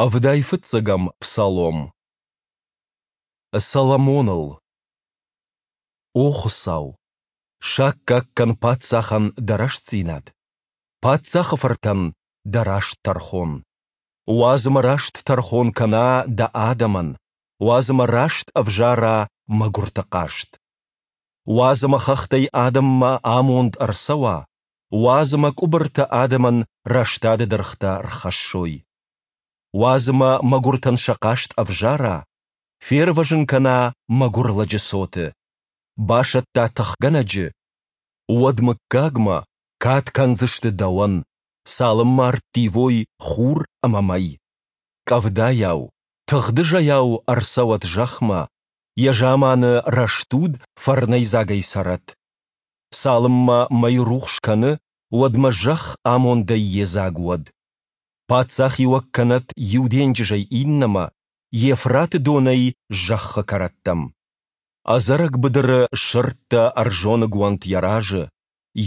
Ӕвдай фыццӕгӕм псалом. Соломоныл. О Хуыцау, саккаг кӕн паддзахӕн дӕ рӕстдзинад, паддзахы фыртӕн дӕ раст тӕрхон. Уадз ӕмӕ раст тӕрхон кӕна дӕ адӕмӕн, уадз ӕмӕ раст ӕвзара мӕгуырты хъаст. Уадз ӕмӕ хӕхтӕй адӕммӕ амонд ӕрцӕуа, уадз ӕмӕ къуыбыртӕ адӕмӕн рӕстады дыргътӕ рхӕссой. Уадз ӕмӕ мӕгуыртӕн сӕ хъаст ӕвзара, фервӕзын кӕна мӕгуыр лӕджы цоты, басӕтта тыхгӕнӕджы, уӕд мыггагмӕ кад кӕндзысты дӕуӕн, цалынмӕ ӕрттивой хур ӕмӕ мӕй. Къӕвдайау, тыгъдызӕйау ӕрцӕуӕд зӕхмӕ, йӕ заманы рӕстуд фӕрнӕйдзагӕй цӕрӕд. Цалынмӕ мӕй рухс кӕны, уӕдмӕ зӕхх амондӕй йедзаг уӕд. Паддзахиуӕг кӕнӕд иу денджызӕй иннӕмӕ, Евфраты донӕй зӕххы кӕрӕттӕм. Ӕдзӕрӕг быдыры сырдтӕ ӕрзоныг уӕнт йӕ разы,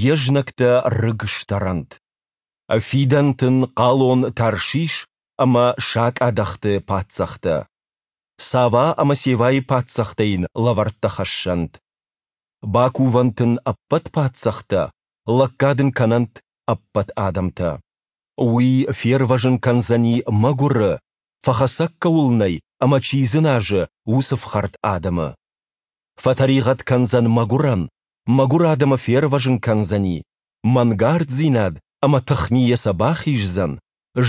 йе знӕгтӕ рыг стӕрӕнт. Фидӕнт ын хъалон Таршиш ӕмӕ сакъадӕхты паддзӕхтӕ. Сава ӕмӕ Севайы паддзӕхтӕ йын лӕвӕрттӕ хӕссӕнт. Бакувӕнт ын ӕппӕт паддзӕхтӕ, лӕггад ын кӕнӕнт ӕппӕт адӕмтӕ. Уый фервӕзын кӕндзӕни мӕгуыры, фӕхӕцӕг кӕуыл нӕй ӕмӕ чи дзыназы, уыцы фхӕрд адӕмы. Фӕтӕригъӕд кӕндзӕн мӕгуырӕн, мӕгуыр адӕмы фервӕзын кӕндзӕни, мӕнгарддзинад ӕмӕ тыхмийӕ сӕ бахиздзӕн,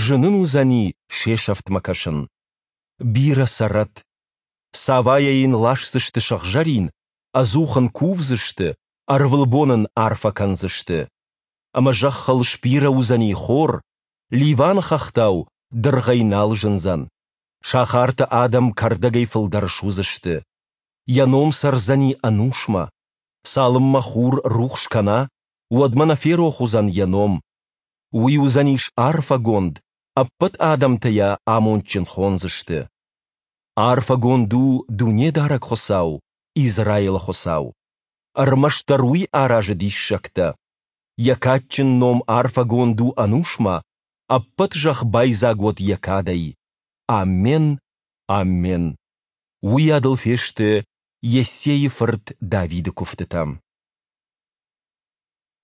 зын ын уыдзӕни се сӕфтмӕ кӕсын. Бирӕ цӕрӕд. Савайӕ йын ласдзысты сыгъзӕрин, ӕдзух ын кувдзысты, ӕрвылбон ын арфӕ кӕндзысты. Ӕмӕ зӕххыл сбирӕ уыдзӕни хор, Ливаны хӕхтау дыргъӕй нал зындзӕн. Сахарты адӕм кӕрдӕгӕй фылдӕр суыдзысты. Йӕ ном цӕрдзӕни ӕнусмӕ. Цалынмӕ хур рухс кӕна, уӕдмӕ нӕ ферох уыдзӕн йӕ ном. Уый уыдзӕнис арфӕгонд, ӕппӕт адӕмтӕ йӕ амондджын хондзысты. Арфӕгонд у Дунедарӕг Хуыцау, Израилы Хуыцау. Ӕрмӕстдӕр уый аразы диссӕгтӕ. Йӕ кадджын ном арфӕгонд у ӕнусмӕ, ӕппӕт зӕхх байдзаг уӕд йӕ кадӕй. Аммен, аммен. Уыйадыл фесты Йессейы фырт Давиды куывтытӕ.